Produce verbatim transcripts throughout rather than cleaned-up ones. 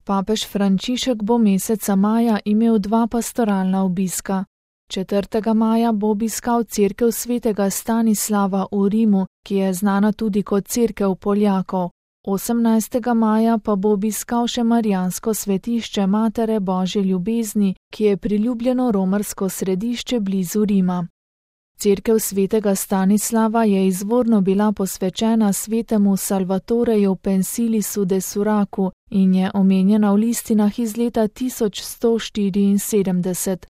Papež Frančišek bo meseca maja imel dva pastoralna obiska. četrtega maja bo obiskal cerkev svetega Stanislava v Rimu, ki je znana tudi kot cerkev Poljakov. osemnajstega maja pa bo obiskal še marijansko svetišče Matere Božje ljubezni, ki je priljubljeno romarsko središče blizu Rima. Cerkev svetega Stanislava je izvorno bila posvečena svetemu Salvatoreju Pensilisu de Suraku in je omenjena v listinah iz leta tisoč sto štiriinsedemdeset.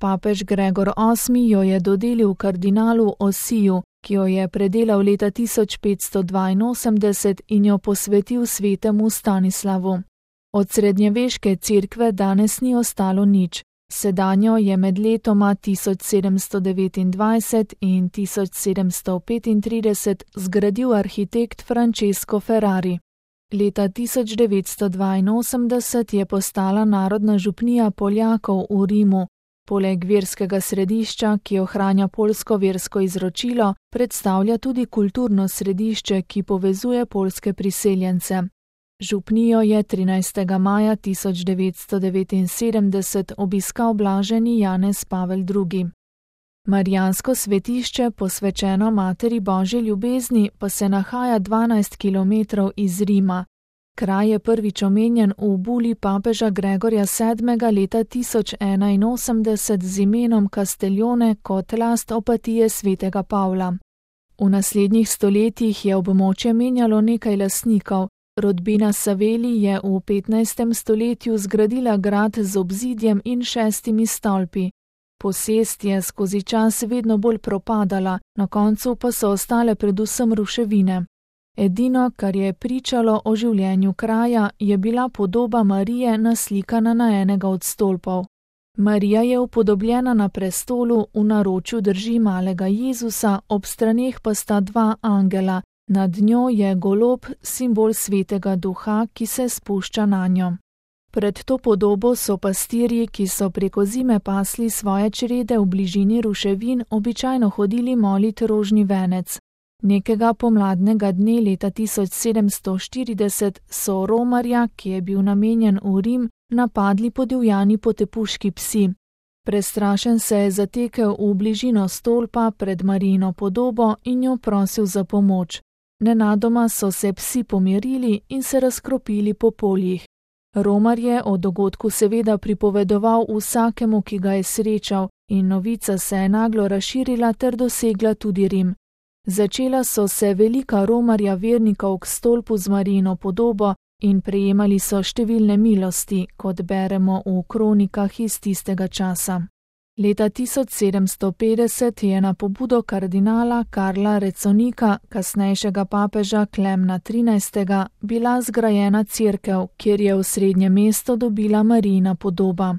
Papež Gregor osmi jo je dodelil kardinalu Osiju, ki jo je predelal leta tisoč petsto dvainosemdeset in jo posvetil svetemu Stanislavu. Od srednjeveške cerkve danes ni ostalo nič. Sedanjo je med letoma tisoč sedemsto devetindvajset in tisoč sedemsto petintrideset zgradil arhitekt Francesco Ferrari. Leta tisoč devetsto dvainosemdeset je postala narodna župnija Poljakov v Rimu. Poleg verskega središča, ki ohranja poljsko versko izročilo, predstavlja tudi kulturno središče, ki povezuje poljske priseljence. Župnijo je trinajstega maja tisoč devetsto devetinsedemdeset obiskal blaženi Janez Pavel drugi. Marijansko svetišče, posvečeno Materi Božje ljubezni, pa se nahaja dvanajst kilometrov iz Rima. Kraj je prvič omenjen v buli papeža Gregorja sedmega leta tisoč enainosemdeset z imenom Castellone kot last opatije svetega Pavla. V naslednjih stoletjih je območje menjalo nekaj lastnikov. Rodbina Savelli je v petnajstem stoletju zgradila grad z obzidjem in šestimi stolpi. Posest je skozi čas vedno bolj propadala, na koncu pa so ostale predvsem ruševine. Edino, kar je pričalo o življenju kraja, je bila podoba Marije naslikana na enega od stolpov. Marija je upodobljena na prestolu, v naročju drži malega Jezusa, ob straneh pa sta dva angela. Nad njo je golob, simbol svetega duha, ki se spušča nanjo. Pred to podobo so pastirji, ki so preko zime pasli svoje črede v bližini ruševin, običajno hodili molit rožni venec. Nekega pomladnega dne leta tisoč sedemsto štirideset so romarja, ki je bil namenjen v Rim, napadli podivjani potepuški psi. Prestrašen se je zatekel v bližino stolpa pred Marijino podobo in jo prosil za pomoč. Nenadoma so se psi pomirili in se razkropili po poljih. Romar je o dogodku seveda pripovedoval vsakemu, ki ga je srečal, in novica se je naglo razširila ter dosegla tudi Rim. Začela so se velika romarja vernikov k stolpu z Marijino podobo in prejemali so številne milosti, kot beremo v kronikah iz tistega časa. Leta tisoč sedemsto petdeset je na pobudo kardinala Karla Reconika, kasnejšega papeža Klemna trinajstega, bila zgrajena cerkev, kjer je v srednje mesto dobila Marijina podoba.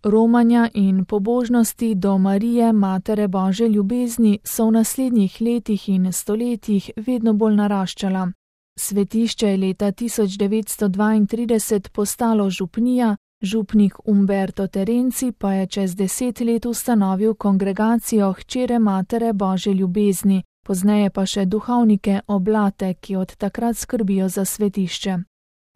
Romanja in pobožnosti do Marije, Matere Božje ljubezni, so v naslednjih letih in stoletjih vedno bolj naraščala. Svetišče je leta tisoč devetsto dvaintrideset postalo župnija, župnik Umberto Terenci pa je čez deset let ustanovil kongregacijo Hčere Matere Božje ljubezni, pozneje pa še duhovnike Oblate, ki od takrat skrbijo za svetišče.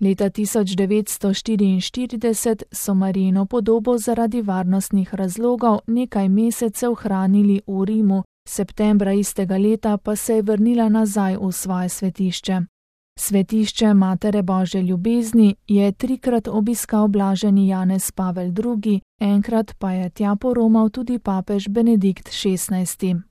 Leta tisoč devetsto štiriinštirideset so Marijino podobo zaradi varnostnih razlogov nekaj mesecev hranili v Rimu, septembra istega leta pa se je vrnila nazaj v svoje svetišče. Svetišče Matere Božje ljubezni je trikrat obiskal blaženi Janez Pavel drugi, enkrat pa je tja poromal tudi papež Benedikt šestnajsti.